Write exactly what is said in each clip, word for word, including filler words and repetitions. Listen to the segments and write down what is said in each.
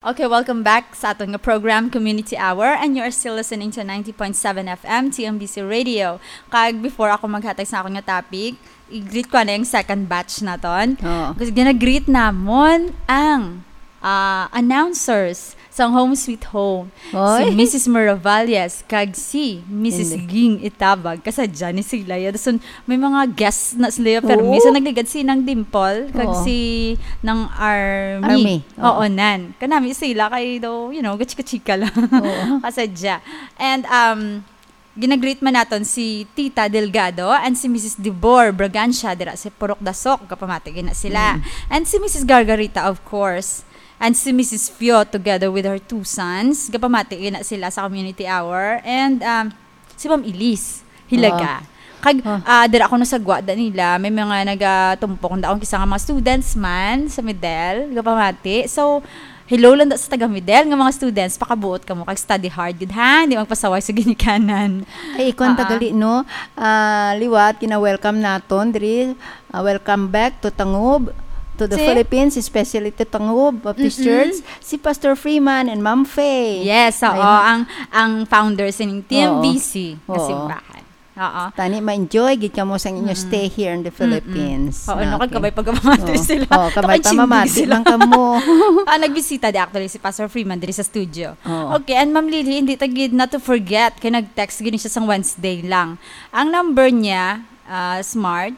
Okay, welcome back sa aton nga program, Community Hour, and you are still listening to ninety point seven F M T M B C Radio. Kag before ako maghatag sa akon nga topic, i-greet ko na yung second batch naton. Oo. Kasi gina-greet namon ang, ah, announcers sa Home Sweet Home. Si Oy. Missus Miravalles kag si Missus Hindi. Ging Itabag. Kasadya ni sila. Ya, dason may mga guests na sila, ya, permi. Oo. So, nagligad si Nang Dimple kag Oo. si Nang Army. Army. Oo. Oo, nan. Kanami sila kay daw, you know, gachika-chika lang. Oo. Kasadya. And, um, ginagreet man naton si Tita Delgado and si Missus Debor Bragancia dira sa Purok Dasok. Gapamati gina sila. Mm. And si Missus Gargarita, of course. And si Missus Fio together with her two sons. Gapamati gina sila sa community hour. And, um, si Ma'am Elise Hilaga. Wow. Kag, Wow. ah, dira ako nasagwa da nila. May mga nagatumpok da akong kisa nga mga students man sa Midel. Gapamati. So, hello lang da sa taga Midel nga mga students. Pakabuot kamo kag study hard gid, ha? Di magpasaway sa ginikanan. Ay, ikuan ta Ah, ah. gali, no? Ah, liwat, kina-welcome naton diri. Ah, welcome back to Tangub, to the Si? Philippines, especially to Tangub Baptist Mm-mm. Church, si Pastor Freeman and Ma'am Faye. Yes, oo, Ayun. ang, ang founder sining Oo. T M B C nga Oo. simbahan. Oo. Tani, ma-enjoy gid kamo sa inyo Mm. stay here in the Mm-mm. Philippines, Oo, no? no, kag Okay. kabay pagpamati Oo. sila. Oo, kabay Takan sindog pamamati sila. lang kamo. Ah, nagbisita di actually si Pastor Freeman diri sa studio. Oo. Okay, and Ma'am Lily, hindi ta gid, not to forget, kay nag-text gini siya sang Wednesday lang. Ang number niya, ah, smart,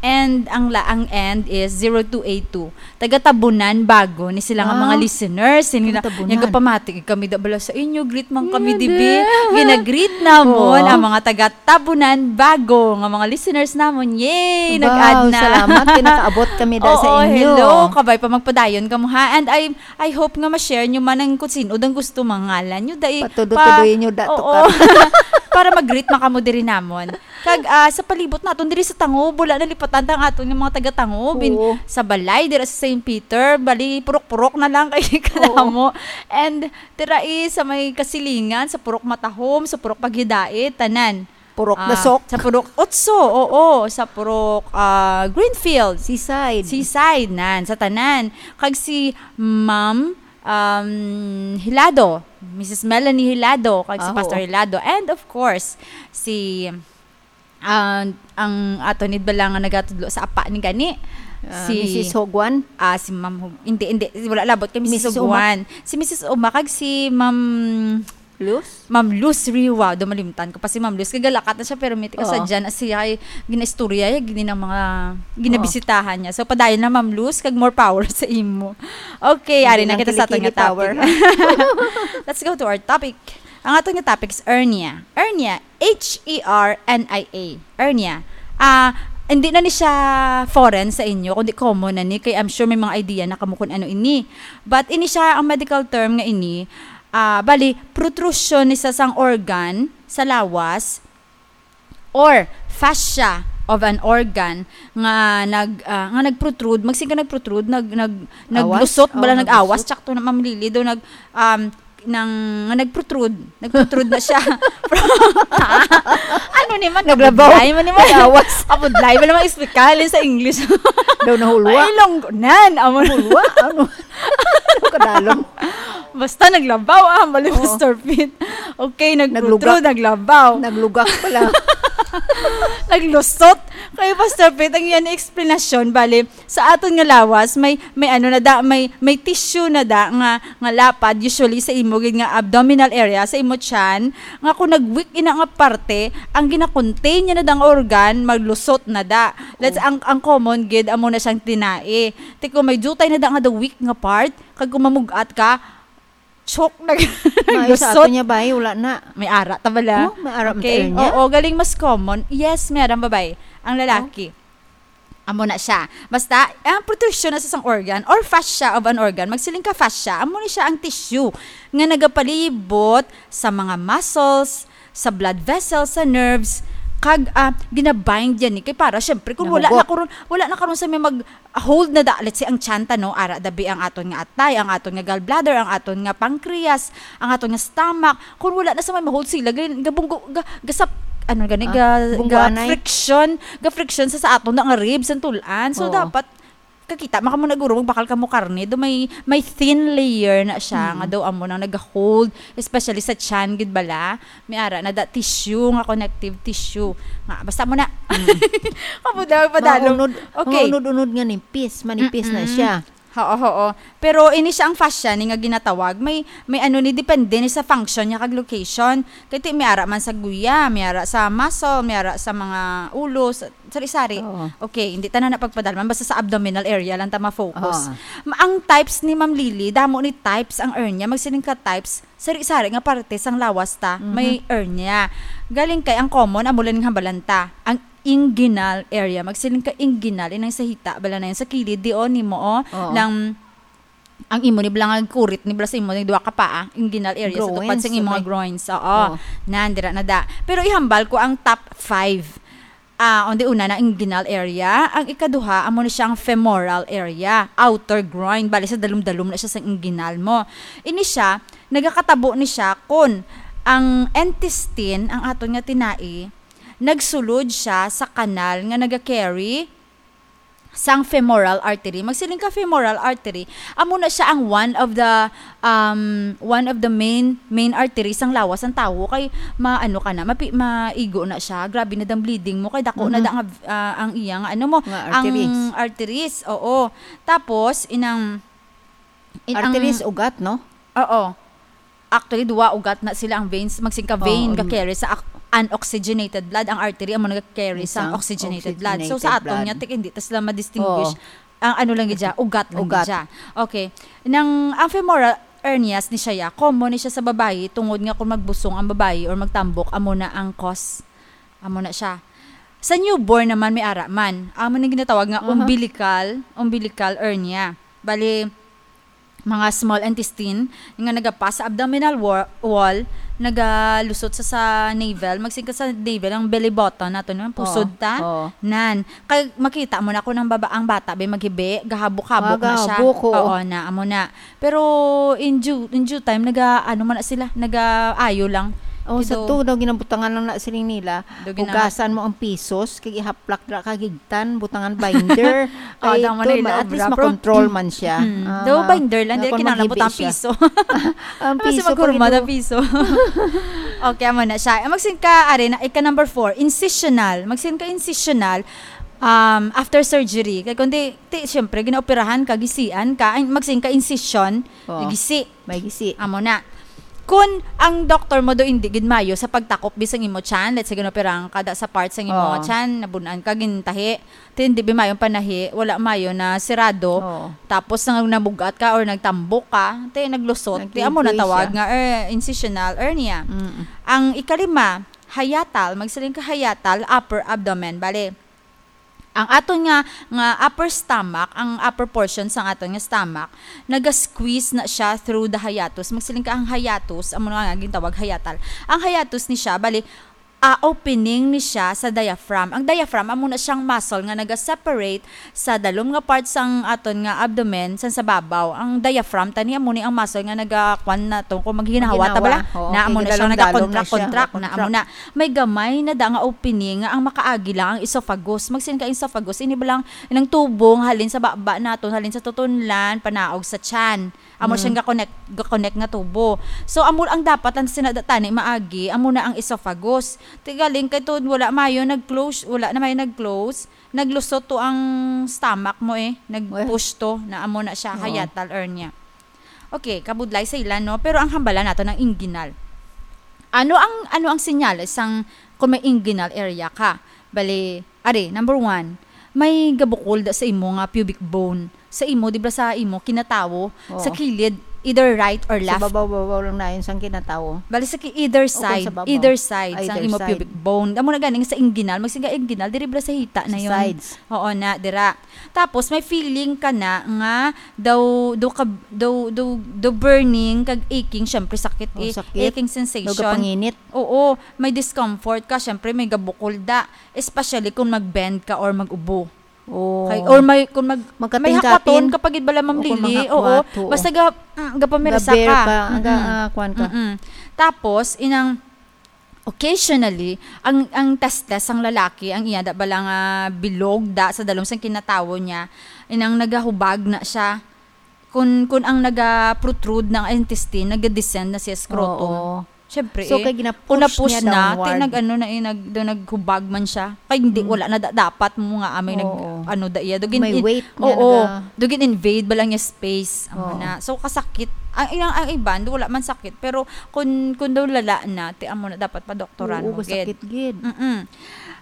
and ang la-, ang end is zero two eight two. Taga Tabunan, Bago, ni sila nga Ah, mga listeners. Sila taga nila, Tabunan. "Nagapamati kami da bala sa inyo. Greet man kami, Hindi. dibi?" Gina-greet namon Oo. ang mga taga Tabunan, Bago, nga mga listeners namon. Yay! Wow, Nag-add na. salamat kay nakaabot kami da sa Oo, inyo. hello. Kabay pa magpadayon kamo, ha? And I, I hope nga ma-share nyo man ang kung sino dang gusto mangalan nyo. Dai, Patudo-tudoy pa-, nyo da, oo. tukar. Para mag-greet man kamo diri namon. Kag, ah, sa palibot naton diri sa Tangub, wala nalipatan ta ang aton nga mga taga-Tangub. In, Oo. sa balay, dira sa Saint Peter, bali, purok-purok na lang kay Oo. kadamo. And dira, eh, sa may Kasilingan, sa Purok Matahom, sa Purok Paghidait, tanan. Purok Ah, Dasok. sa Purok Otso, oo, sa Purok, ah, Greenfield. Seaside. Seaside, nan, sa tanan. Kag si Ma'am, um, Hilado, Missus Melanie Hilado, kag si Ah, Pastor oo. Hilado. And of course, si, ah, ang ato ni bala nga nagatudlo sa apa ni gani, Ah, si Missus Hogwan? Ah, si Ma'am Hog-, hindi, hindi, wala labot kay Missus Missus Uma. Hogwan. Si Missus Uma kag si Ma'am Luz? Ma'am Luz Riwa. Do malimtan ko pa si Ma'am Luz. Kay galakat na siya, pero may tika sa Oo. dyan, as siya ay ginaistorya, ay gini ng mga ginabisitahan niya. So, padayon na, Ma'am Luz, kag more power sa imo. Okay, Hindi ari na lang kita sa aton kilikili nga topic. power. Let's go to our topic. Ang aton nga topic is hernia. Hernia, H E R N I A. Hernia. Ah, hindi na ni siya foreign sa inyo, kundi common na ni, kay I'm sure may mga idea na kamo kung ano ini. But ini siya ang medical term nga ini, ah, bali, protrusion ni sa sang organ sa lawas or fascia of an organ nga nag, ah, nga nagprotrude, magsing ka nagprotrude, nag, nag, Awas? naglusot, bala, Oh, nag-awas, naglusot. Tsakto na, Ma'am Lily, daw nag, um, nang, nga nagprotrude, nagprotrude na siya. Ano ni man? Naglabaw. Kabudlay man ni man. Nag-awas. Kabudlay man ni man, explica halin sa English. Daw nahulwa. Ay, longgo-, nan, amo na. Hulwa? Ano? Ano kadalom? Basta naglabaw, ah, bali, Oo. Mister Pete. Okay, Nagluga. nagprotrude, naglabaw. Naglugak pala. Naglusot. Kay Pastor Pete, ang iyang explanation, bali, sa aton nga lawas, may, may ano na da, may, may tissue na da nga, nga lapad, usually sa imo gid nga abdominal area, sa imo tiyan, nga kung nag-weak ina nga parte, ang gina-contain niya na da nga organ, maglusot na da. Let's, Oh. ang, ang common gid, amo na siyang tinai. Ti kung may jutay na da nga the weak nga part, kag kung mamug-at ka, choke na Maayo sa lusot. ato niya, bay, wala na. May ara ta bala? Oh, may ara man Okay. tayo niya? Oo, galing mas common. Yes, meron, babay. Ang lalaki. Oh. Amo na siya. Basta, ang protrusion na sa isang organ or fascia of an organ, magsiling ka fascia, amo ni siya ang tissue nga nagapalibot sa mga muscles, sa blood vessels, sa nerves, kag, ah, ginabind yan ni. Kay para, syempre, kung wala Nahugot. na karon, wala na karon sa may mag-hold na da, let's say, ang tiyan ta, no, ara dabi ang aton nga atay, ang aton nga gallbladder, ang aton nga pancreas, ang aton nga stomach, kung wala na sa may ma-hold sila, ga-, gabunggo, ga-, gasap-, ano gani, Ah, ga-, bunggo anay. ga-friction, ga-friction sa, sa aton na nga ribs, ang tulan. So, Oo. dapat, kakita, maka mo na guro, magbakal ka mo karne, do may, may thin layer na siya, Mm. nga daw amo nang nag-hold, especially sa tiyan, gid bala, may ara na da tissue, nga connective tissue. Nga, basta mo na. Mm. Amo daw, padalong. Maunod, Okay. maunod-unod nga nipis, manipis na Mm-mm. siya. Oo, oo. Pero ini siya ang fascia ni nga ginatawag. May, may ano ni, depende ni sa function niya kag location. Kay ti, may ara man sa guya, may ara sa muscle, may ara sa mga ulo, sa, sari-sari. Oo. Okay, hindi tanan na pagpadalman. Basta sa abdominal area lang ta ma-focus. Oo. Ma-, ang types ni Ma'am Lily, damo ni types ang hernia. Magsiling ka types, sari-sari nga parte sang lawas ta, Mhm. may hernia. Galing kay ang common, amo lang ning hambalan ta. Ang inguinal area. Magsiling ka inguinal, inang sa hita, bala na yun. Sa kilid, di, oh, nimo, oh, Oo. nang, ang imo ni bala nga kurit ni bala sa imo, ni duha ka paa, inguinal area sa tupad Groins, sa imo nga sabay. groins. Oo. Oo. Nan, dira na da. Pero ihambal ko ang top five. Ah, on the una na inguinal area. Ang ikaduha, amo na siyang femoral area, outer groin. Bali sa dalom-dalom na siya sa inguinal mo. Ini siya, nagakatabo ni siya kun ang intestine, ang aton nga tinai, nagsulod siya sa kanal nga naga-carry sang femoral artery. Magsiling ka femoral artery, amo na siya ang one of the, um, one of the main, main artery sang lawas sang tawo. Kay maano ka na, mapi-, maigo na siya. Grabe na dang bleeding mo. Kay dako na Mhm. da nga, ah, ang iya nga, ano mo, Nga ang arteries. arteries. Oo. Tapos, inang, in-, ang Arteries, ugat, no? Oo. Actually, duwa ugat na sila ang veins. Magsiling ka vein Oo, ga-carry sa ac-, unoxygenated blood. Ang artery, amo naga-carry sa Isang oxygenated blood. So, oxygenated sa aton blood. nga, tik-, hindi ta sila ma-distinguish. Oo. Ang ano lang gid siya, ugat lang gid Ugat. siya. Okay. Nang, ang femoral hernias ni siya, ya, common ni siya sa babayi, tungod nga kung magbusong ang babayi or magtambok, amo na ang cause. Amo na siya. Sa newborn naman, may ara man. Amo nang ginatawag nga Aha. umbilical, umbilical hernia. Bali, mga small intestine nga nagapas sa abdominal wa-, wall, nagalusot sa, sa navel, magsiling ka sa navel, ang belly button nato, no? Pusod Oo, ta. oo. Nan, kay makita mo na kung ang baba, ang bata ba maghibi, gahabok-habok na siya. Magahabok, oo. Oo na, amo na. Pero in due, in due time, naga, ano man na sila, nagaayo lang. Oh, sa Kito, to daw ginabutangan lang na siling nila, daw gina- hugasan mo ang pisos, kay ihaplak ra ka higtan, butangan binder. Oh, Ay, daw man to, na ma-, at least obra, bro. Makontrol man siya. Mm. Ah, Daw binder lang, nga di kung kinahanglan maghibi butang siya. piso. Ang Ano si piso, maghurma pag na ito- piso? Okay, amo na siya. Ang magsin ka, are na, ika number four, incisional. Magsin ka incisional, um, after surgery. Kay kundi, ti, siyempre, ginaoperahan ka, gisian ka, ay, magsin ka incision, Oo. gisi. May gisi. Amo na. Kun ang doktor mo do hindi gid mayo sa pagtakop bisang imo tiyan, let's say, ginoperahan ka da sa part sang imo Oo. tiyan, nabun-an ka, gintahi, ti hindi bi mayo ang panahi, wala mayo na sirado, Oo. tapos nang nabugat ka or nagtambok ka, ti naglusot, ti amo na Nagkikiwi tawag siya. nga, er, incisional hernia. Mm. Ang ikalima, hiatal, magsiling ka hiatal, upper abdomen. Bale, ang aton nga, nga upper stomach, ang upper portion sang aton nga stomach, naga-squeeze na siya through the hiatus. Magsiling ka ang hiatus, amo na nga gintawag hiatal. Ang hiatus ni siya, bali, ah, opening ni siya sa diaphragm. Ang diaphragm, amo na siyang muscle nga naga-separate sa dalom nga part sang aton nga abdomen, sang sa babaw. Ang diaphragm, tani, amo ni ang muscle nga naga-, kwan na to, kung maghinahawa ta Maghinawa. bala, Oo, na amo kay na siya, gidalom-dalom na siya. naga-contract, contract, na amo Contract. na. May gamay na da nga opening nga ang makaagi lang ang esophagus. Magsin ka esophagus, ini ba lang nang tubo nga halin sa baba naton, halin sa tutunlan, panaog sa tiyan. Amo Mm. siyang ga-connect, ga-connect nga tubo. So, amo ang dapat lang sina da-, tani maagi, amo na ang esophagus. Ti galing kay to, wala mayo nag-close, wala na mayo nag-close, naglusot to ang stomach mo eh, Well, nag-push to, na amo na siya, oo. hiatal hernia. Okay, kabudlay sa ila, no? Pero ang hambala nato ng inguinal. Ano ang, ano ang senyales sang kung may inguinal area ka? Bali, ari, number one, may gabukol da sa imo nga pubic bone. Sa imo, di ba sa imo, kinatawo, Oo. sa kilid, either right or Sa left. babaw-babaw lang na yun sang kinatawo. Bali, sa ki-, either O, kung side, sa babaw. either side sang Either imo side. pubic bone. Amo na ganing sa inguinal, magsiga inguinal, diri bala sa hita na Sa yun. sides. Oo na, dira. Tapos, may feeling ka na nga daw, daw ka, daw, daw, daw burning, kag aching, syempre, sakit Oh, eh. sakit. Aching Daw sensation. kapanginit. Oo, may discomfort ka, syempre, may gabukol da. Especially kung mag-bend ka or mag-ubo. Oh. Kay, or may, kung mag-, Magkating-kating. may hakwaton ka pa gid bala, Ma'am O, kung Lily. mga Oo, hakwat, oo. basta ga-, mm, gapamirsa Gabear ka. ka, aga, Mm-mm. ah, kwan ka. Mm-mm. Tapos, inang, Occasionally, ang, ang testes sang lalaki, ang iya da bala nga bilog da sa dalom sang kinatawo niya, inang nagahubag na siya. Kun, kun ang naga-protrude na ang intestine, naga-descend na siya scrotum. Oo. Syempre, So, eh, kay gina-push kung na-push niya na, ti downward. nag-ano na, eh, nag-, do naghubag man siya. Kay hindi, Mm. wala na da-, dapat mo nga amay nag-, Oo. ano da iya. Dugin May in-, weight nga oo, naga- dugin invade ba lang niya space. Amo Oo. na. So, kasakit. Ang, ang, ang iban, wala man sakit. Pero kun, kun daw lala na, ti amo na dapat pa doktoran Oo, mo, gid. kasakit gid. Mm-mm.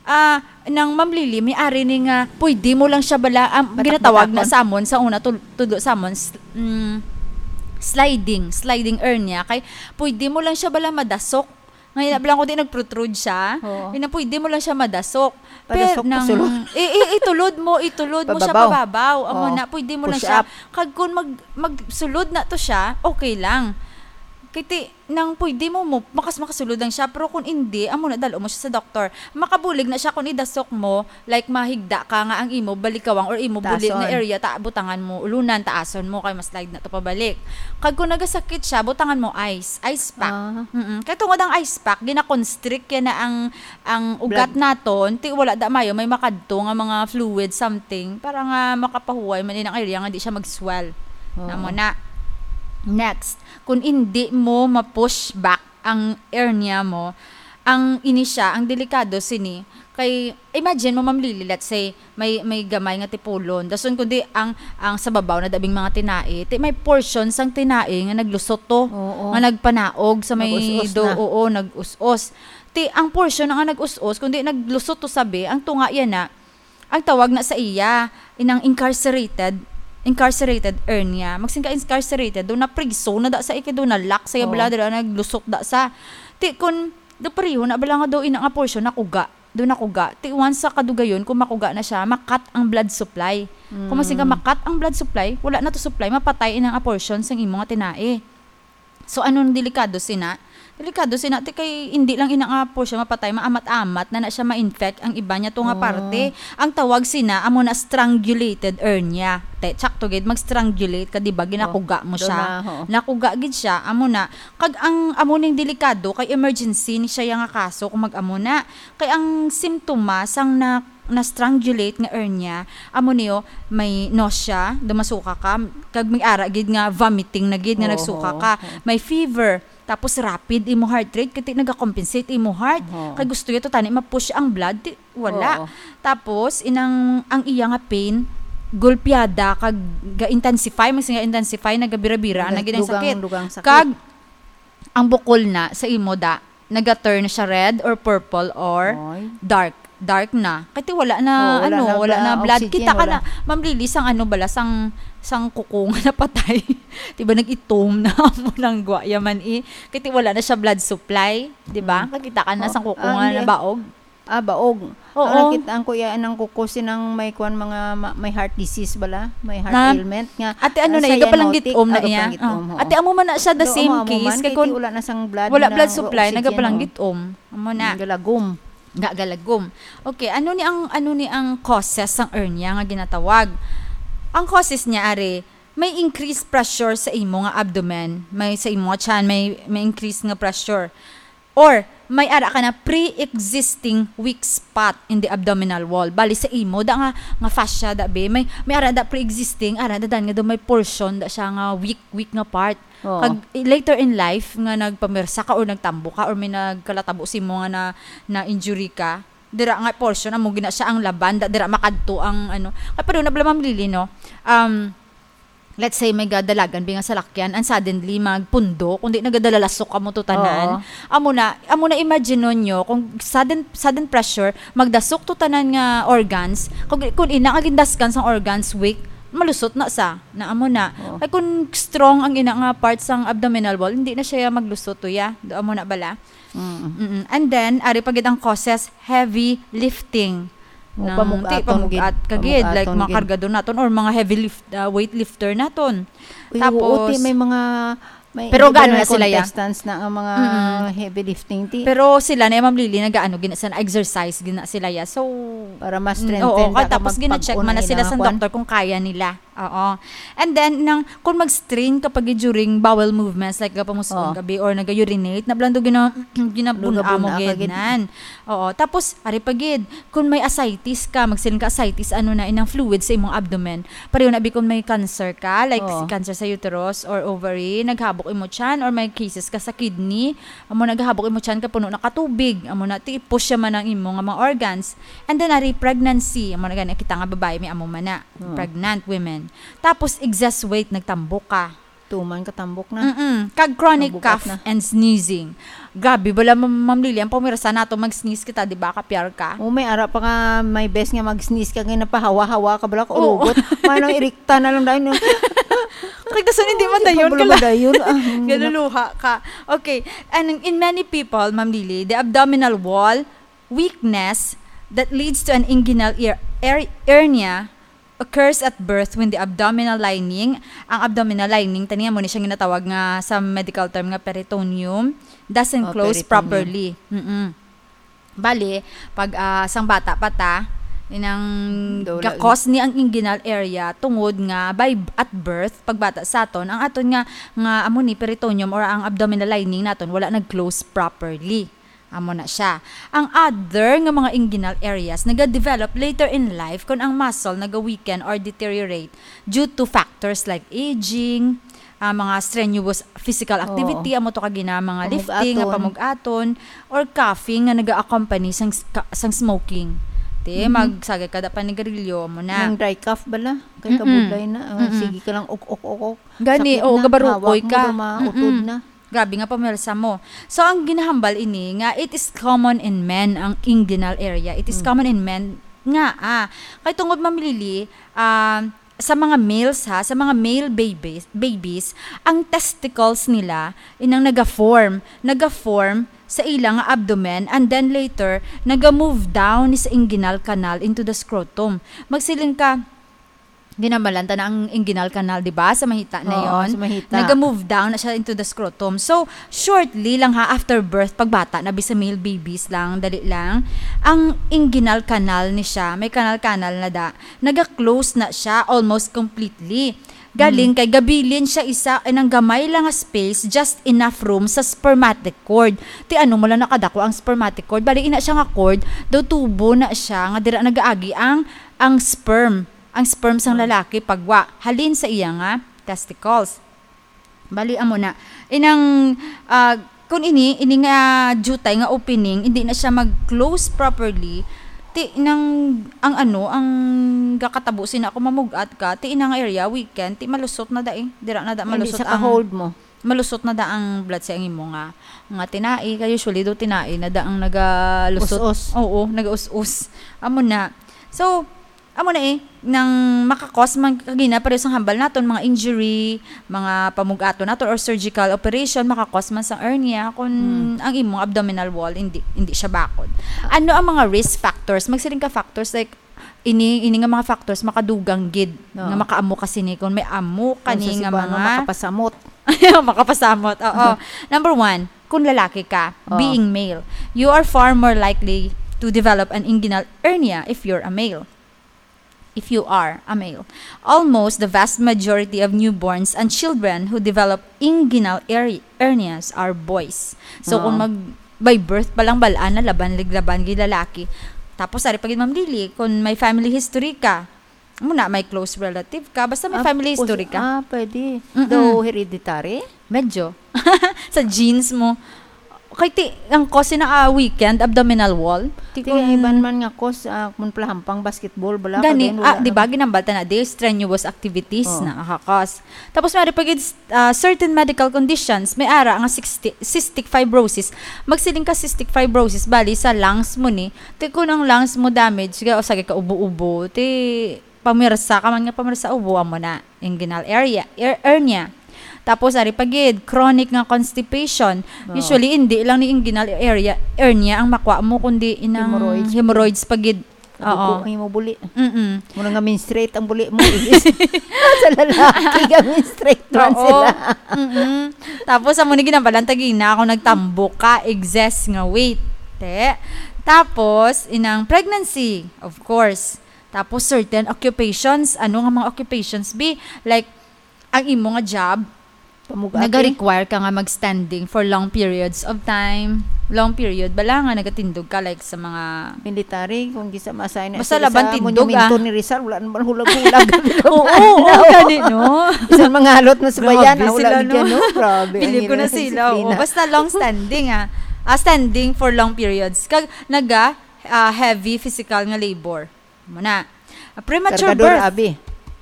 Ah, nang Ma'am Lily, may ari ni nga, pwede mo lang siya bala, ang Patakbo-takbo. ginatawag na sa amon, sa una tul-, tudlo sa amon, s-, mm, sliding, sliding hernia. Kay, pwede mo lang siya bala madasok. Ngayon, na lang ko di nag-protrude siya. Oo. Yun na, pwede mo lang siya madasok. Padasok, Pero nang, pasulod. i-, i-, itulod mo, itulod mo siya Pababaw. pababaw. Amo Oo. na, pwede mo lang Push siya. up. Kag kung mag-, magsulod na to siya, okay lang. Kiti, nang pwede mo, mo, makas-, makasulod lang siya. Pero kung hindi, amo na, dalo mo siya sa doktor. Makabulig na siya kung idasok mo, like, mahigda ka nga ang imo balikawang or imo bulit nga Taason. area, ta-, butangan mo, ulunan, taason mo, kay mas slide na to pabalik. Kag kung nagasakit siya, butangan mo ice, ice pack. Ah. Mm-mm. Kay tungod ang ice pack, gina-constrict yan na ang, ang ugat Blood. naton, ti wala da mayo, may makadto nga mga fluid, something, para nga makapahuway man din ang area nga di siya mag-swell. Oo. Namo na. Next, kung hindi mo ma-push back ang hernia mo, ang ini siya, ang delikado sini, kay imagine mo, Ma'am Lily, let's say, may, may gamay nga tipulon. Dason kundi ang, ang sa babaw na dabing mga tinai, ti may portion sang tinai nga naglusot to, Oo. nga nagpanaog sa may Nag-us-os do-, na. oo, nag-us-os. Ti ang portion nga nag-us-os, kundi naglusot to sabi, ang tunga yan na, ang tawag na sa iya, inang incarcerated, incarcerated hernia. Magsin ka incarcerated, do na priso na da sa iki, do na lock sa iya Oo. bladder, naglusot da sa. Ti kun, do pareho na bala nga do ina nga portion nakuga. Do nakuga. Ti once sa kadugayon, kung makuga na siya, makat ang blood supply. Kung magsin ka Mm. makat ang blood supply, wala na to supply, mapatay inang aportion sang imo nga tinai. So, anong delikado sina? Delikado sina, ti kay hindi lang ina nga portion mapatay, maamat-amat na na siya ma-infect ang iba niya to nga Oh. parte. Ang tawag sina, amo na strangulated hernia. Te, tsakto gid, mag-strangulate ka, di ba? Ginakuga Oh, mo do siya. na, ho. Nakuga gid siya, amo na. Kag ang amo ning delikado, kay emergency ni siya nga kaso kung mag-amo na. Kay ang simptomas sang na, na-strangulate nga hernia, amo niyo, may nausea, dumasuka ka, kag may ara gid nga vomiting na gid nga Oo, nagsuka oo, ka. oo. May fever, tapos rapid imo heart rate, kay ti nagakompensate imo heart. Oo. Kay gusto niya to tani ma-push ang blood, ti, wala. Oo. Tapos, inang, ang iya nga pain, gulpiada, kag ga-intensify, mas nga intensify, nagabira-bira, na gid ang Dugang, sakit. dugang sakit. Kag, ang bukol na sa imo da, naga-turn na siya red or purple or Oy. dark. Dark na. Kay ti wala na, Oh, wala ano, na wala na bla-, blood. oxygen, Kita ka wala. na, Ma'am Lily, sang ano bala, sang, sang kuko nga napatay. Di ba, nag-itom na mo nang gwa yaman, eh. Kay ti wala na siya blood supply, di ba? Mm. Kakita ka na Oh, sang kuko ah, nga hindi, ah. nabaog. Ah, baog. Oo. Ang nakita ko, iya, anang kuko, sinang may kwan, mga ma-, may heart disease bala, may heart Na, ailment nga, ate, ano ah, na, cyanotic, igapalanggitom na ah, iya. gapalanggitom, Ah, oo. Ate, amo man na siya the Do, same amo, amo case, man, kay kay kun ti wala na sang blood wala na, blood wala supply, oxygen, nagapalanggit-, oh. Amo na. Galagom. Ga-, galagom. Okay, ano ni ang, ano ni ang causes sang hernia nga ginatawag? Ang causes niya, are, may increased pressure sa imo nga abdomen, may sa imo nga tiyan, may, may increase nga pressure. Or, may ara ka na pre-existing weak spot in the abdominal wall. Bali sa imo, da nga, nga fascia, da, be, may, may ara da pre-existing, ara da dan nga do may portion da siya nga weak, weak nga part. Oo. Kag, eh, later in life, nga nagpamirsa ka or nagtambo ka or may nagkalatabo sa imo nga na, na injury ka, dira nga portion, amo gina siya ang laban, da, dira makadto ang, ano. Kay pa doon na bala, Ma'am Lily, no? Um, let's say, may gadalagan bi nga salakyan, and suddenly, magpundo, kundi nagadalalasok amo to tanan. Oo. Amo na, amo na, imagine nyo, kung sudden, sudden pressure, magdasok to tanan nga organs, kung, kung ina nga gindaskan sang organs, weak, malusot na sa, na amo na. Oo. Kay kung strong ang ina nga part sang abdominal wall, hindi na siya maglusot to, ya. Do amo na bala. Mm. Mm-mm. And then, ari pa gid ang causes, heavy lifting. O, Nang, pamugaton ti, pamugat gid. ka gid, like, Pamugaton mga gid. kargador naton or mga heavy lift, ah, weightlifter naton. Uy, oo, Tapos, ti, may mga, may, pero may gaano mga na sila, ya? contestants na ang mga Mm-mm. heavy lifting, ti. Pero sila na, Ma'am Lily, nagaano gina-, sa exercise gina sila, ya. So, Para mas mm, strengthen oo, ka ka, tapos mag-, gina-check pag-una man na sila ilang sa kwan. doktor kung kaya nila. Oo. And then, nang, kung mag-strain ka pag during bowel movements, like, gapamusuon Oo. gabi or nag-urinate, nablando gina-, ginabun-a mo Lugabun-a ka gid gid. nan. Oo. Tapos, ari pa gid, kung may ascites ka, magsiling ka ascites, ano na, inang fluid sa imong abdomen. Pareho na bi kung may cancer ka, like, Oo. cancer sa uterus or ovary, naghabok imo tiyan, or may cases ka sa kidney, amo naghabok imo tiyan, ka puno na ka tubig, amo na, ti-push siya man ang imo nga mga organs. And then, ari, pregnancy, amo na gani, kita nga babae, may amo man na. Oo. Pregnant women. Tapos, excess weight, nagtambok ka. Tuman ka tambok na. Mm-mm. Kag chronic Mabugat cough na. and sneezing. Grabe, bala, Ma'am, Ma'am Lily, ang pamirsa nato, mag-sneeze kita, di ba? Kapyar ka. Oh, may ara pa nga, may best nga mag-sneeze ka, kaya napahawa-hawa ka, bala ka Oo. urugot. Manang irikta na lang dahil, no? Kag dason, hindi madayon ka Wala lang. madayon, ah, hmm, Galuluha ka. Okay. And in many people, Ma'am Lily, the abdominal wall weakness that leads to an inguinal er-, er-, hernia occurs at birth when the abdominal lining, ang abdominal lining, tani mo ni siya ginatawag nga sa medical term nga peritoneum, doesn't Oh, close peritoneum. properly. Mm-mm. Bali, pag, ah, sang bata pa ta, inang Daw la- gakos ni ang inguinal area tungod nga by b-, at birth, pagbata sa aton, ang aton nga, nga amo ni peritoneum or ang abdominal lining naton wala nag-close properly. Amo na siya. Ang other nga mga inguinal areas naga-develop later in life kon ang muscle naga-weaken or deteriorate due to factors like aging, ah, mga strenuous physical Oo. activity, amo to kagina mga lifting nga Pamug-aton. pamug-aton, or coughing nga naga-accompany sang ska-, sang smoking. Te, Mhm. magsagay ka da panigarilyo, amo na. Nang dry cough bala, kay Mm-mm. kabudlay na. Ah, Mm-mm. sige ka lang, uk, uk, uk, uk. Gani, Sakit oo, na, gabarukoy hawak mo, ka. dumautod Mm-mm. na. Grabe nga pamirsa mo. So, ang ginahambal ini nga it is common in men ang inguinal area. It is Mm. common in men nga, ah, kay tungod, Ma'am Lily, ah, sa mga males, ha, sa mga male babies, babies, ang testicles nila inang naga-form, naga-form sa ila nga abdomen, and then later naga-move down sa inguinal canal into the scrotum. Magsiling ka, ginambalan ta na ang inguinal canal, di ba? Sa mahita na Oo, yon. sa mahita. Naga-move down na siya into the scrotum. So, shortly lang ha, after birth, pagbata na bi sa male babies lang, dali lang, ang inguinal canal ni siya, may canal-canal na da, naga-close na siya almost completely. Galing Mm. kay gabilin siya isa, eh, nang gamay lang nga space, just enough room sa spermatic cord. Ti ano mo lang nakadako ang spermatic cord? Bali, ina siya nga cord, daw tubo na siya, nga dira nagaagi ang, ang sperm. Ang sperm sang Mm. lalaki pagwa halin sa iya nga testicles. Bali, amo na. Inang, ah, kung ini, ini nga jutay nga opening, hindi na siya mag-close properly, ti nang, ang ano, ang gakatabo sina ako mamug-at ka, ti inang area, weekend, ti malusot na da eh. Dira na da Hindi malusot sa ang ka-hold mo. malusot na da ang blood sa imo nga, nga tinai. Kay usually do tinai na da ang nagalusot. Us-us. Oo, nagaus-us. Amo na. So, amo na eh, nang makakos man kagina, pareho sang hambal naton, mga injury, mga pamug-aton naton, or surgical operation, makakos man sang hernia kung Hmm. ang imong abdominal wall, hindi, hindi siya bakod. Ano ang mga risk factors? Magsiling ka factors like, ini, ini nga mga factors makadugang gid Oo. nga makaamo ka sini kung may amo Kung kani sa nga Cebuano, mga makapasamot. Makapasamot, oo. Number one, kung lalaki ka, Oo. being male, you are far more likely to develop an inguinal hernia if you're a male. If you are a male. Almost the vast majority of newborns and children who develop inguinal her-, hernias are boys. So, Oo. kung mag-, by birth pa lang, balaan na, laban, lig-, laban, gid lalaki. Tapos, ari pa gid, Ma'am Lily, kung may family history ka, muna, may close relative ka, basta may Ah, family history pos-, ka. ah, pwede. Mm-mm. Though hereditary? Medyo. Sa genes mo. Kay ti, ang cause na, ah, weakened abdominal wall. Ti Ti, kung iban man nga cause, ah, kung palahampang basketball, bala ka Gani, din, ah, wala di ba, na. ginambal ta na, di, strenuous activities Oo. na, ah, cause. Tapos, may pa gid, ah, certain medical conditions, may ara nga sixty, cystic fibrosis. Magsiling ka cystic fibrosis, bali, sa lungs mo ni, ti kung ang lungs mo damage, ga, o sa ka ubo-ubo, ti, pamirsa ka man nga pamirsa ubo, amo na, inguinal area, er-, hernia. Tapos, ari pa gid, chronic nga constipation. Oo. Usually, hindi lang ni inguinal area, hernia ang makwa mo, kundi inang Hemorrhoids. hemorrhoids pa gid. Oo. Nadugo ang imo buli. Mm-mm. Mura nga menstruate ang buli mo. Sa lalaki, ga menstruate man Oo. sila. Mm-mm. Tapos, amo ni ginambalan, tagina ako nagtambok ka, excess nga weight. Te. Tapos, inang pregnancy, of course. Tapos certain occupations, ano nga mga occupations, bi? Like, ang imo nga job, Pamugati. Nag-require ka nga mag-standing for long periods of time. Long period, bala nga nagatindog ka, like, sa mga Military, kung gisa masay na Basta sila laban sa tindog, monumento ah. ni Rizal, wala naman hulag-hulag. Oo, oo, gani, no? Isang mga halot na sa Grabe bayan, ah, wala sila, gid yan, no? no? Grabe, ang Bilib ko na ilang sila, oo. disiplina. Basta long standing, ah. Ah, standing for long periods. Kag naga, ah, heavy physical nga labor. Muna. Ah, premature Kargador, birth. abi.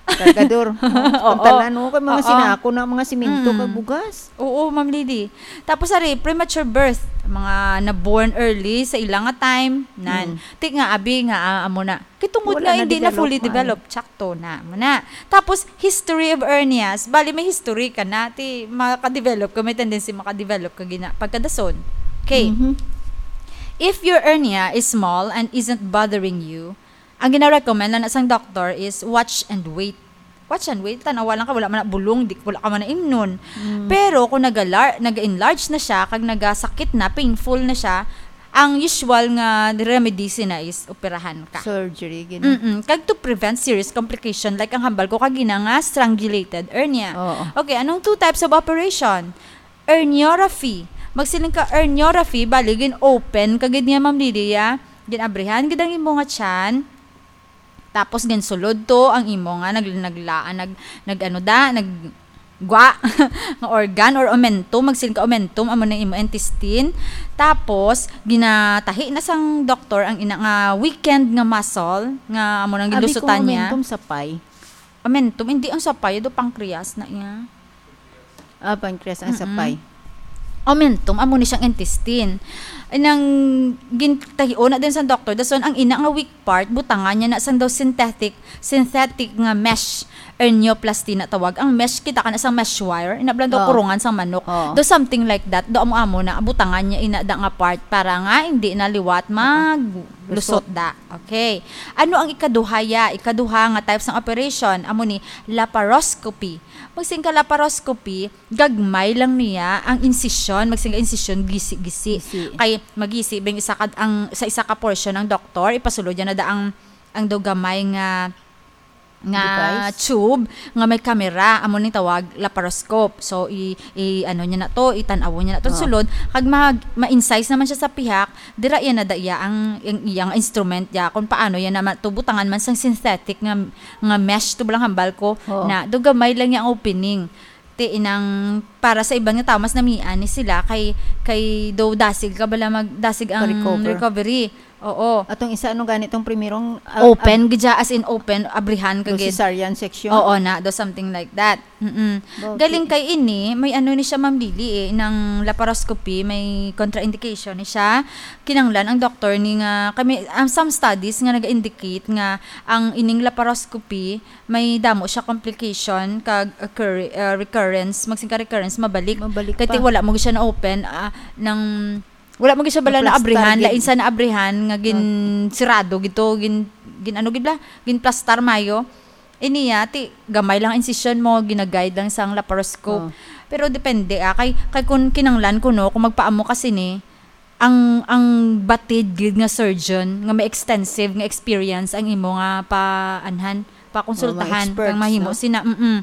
Kargador. Oo. Ang tanan, no? Kay mga Oo. sinako na, mga simento, Mm. kag bugas. Oo, Ma'am Lily. Tapos, ari, premature birth. Mga na-born early sa ilang nga time. Nan. Mm. Ti nga, abi nga, ah, amo na. Kay tungod Wala nga na hindi na develop fully man. developed, tsakto na. Muna. Tapos, history of hernias. Bali, may history ka na. Ti, makadevelop ka, may tendency makadevelop ka gina, pagkadason. Okay. Mhm. If your hernia is small and isn't bothering you, ang gina-recommend na sang doktor is watch and wait. Watch and wait, tanawa lang ka, wala man na bulong, di, wala ka man na imnon. Mm. Pero kung nagalar-, naga-enlarge na siya, kag nagasakit na, painful na siya, ang usual nga remedy sina is operahan ka. Surgery, gina. Mm-mm. Kag to prevent serious complication, like ang hambal ko kagina nga strangulated hernia. Oo. Okay, anong two types of operation? Herniorrhaphy. Magsiling ka herniorrhaphy, bali, gin-open ka gid niya, Ma'am Lydia. Gin-abrihan gid ang imo nga tiyan. Tapos, ginsulod to ang imo nga nag-, naglaan, nag-, nag-, ano da, nag-, gwa, nga organ or omentum, magsiling ka omentum, amo na imo intestine. Tapos, ginatahi na sang doktor ang ina nga weakened nga muscle, nga amo nang Abi ko gilusutan niya. Omentum sapay. Omentum, hindi ang sapay, do pancreas na iya. Ah, pancreas ang Mm-mm. sapay. Omentum, amo ni siyang intestine. Nang gintahion na din sa doktor, dason ang ina nga weak part, butangan niya na sang daw synthetic, synthetic nga mesh, hernioplasty na tawag. Ang mesh, kita ka na sang mesh wire, ina bala daw Oo. kurungan sang manok. Oo. Do something like that, do amo-amo na, butangan niya ina da nga part para nga hindi na liwat maglusot Lusot. da. Okay. Ano ang ikaduha ya? Ikaduha nga types ng operation, amo ni laparoscopy. Magsiling ka laparoscopy, gagmay lang niya ang incision, magsiling ka incision, gisi-gisi. Gisi. Kay magisi bang isa ka, ang, sa isa ka portion ang doktor, ipasulod niya na da ang, ang daw gamay nga, nga Device? tube nga may camera, amo ni tawag laparoscope. So, i, i, ano niya na to, itan-aw niya na to, Oh. sulod, kag mag, ma-incise naman siya sa pihak, dira iya na da iya ang, ang iyang instrument ya, kung paano yan naman to, butangan man sang synthetic nga, nga mesh, to lang hambal ko, Oo. na do gamay lang niya ang opening. Ti inang para sa iban nga tawo, mas namian ni sila kay, kay do dasig ka bala mag, dasig ang Ka-recover. recovery. Oo. Atong isa, ano gani tong primerong, ah, Open gid siya, as in open, abrihan ka do gid. cesarean section? Oo na, do something like that. Mm-mm. Okay. Galing kay ini, may ano ni siya, Ma'am Lily, eh, nang laparoscopy, may contraindication ni siya. Kinanglan ang doktor ni nga, kami, ang some studies nga nag-indicate nga ang ining laparoscopy, may damo siya complication kag occur-, uh, recurrence, magsiling ka recurrence, mabalik. Mabalik Kay ti pa. wala mo siya na-open, ah, nang, wala mo siya bala Naplastar naabrihan, gid. lain sa naabrihan nga gin-, Ah. sirado gid to, gin-, gin-, ano gid bala? Ginplastar mayo. Iniya, ti gamay lang incision mo, ginaguide lang sang laparoscope. Oh. Pero depende, ah, kay, kay kung kinanglan ko, no, kung magpaamo ka sini, ang, ang batid gid nga surgeon nga may extensive nga experience ang imo nga paanhan, pakonsultahan, Oh, mga experts, kang mahimo no? sina, mm.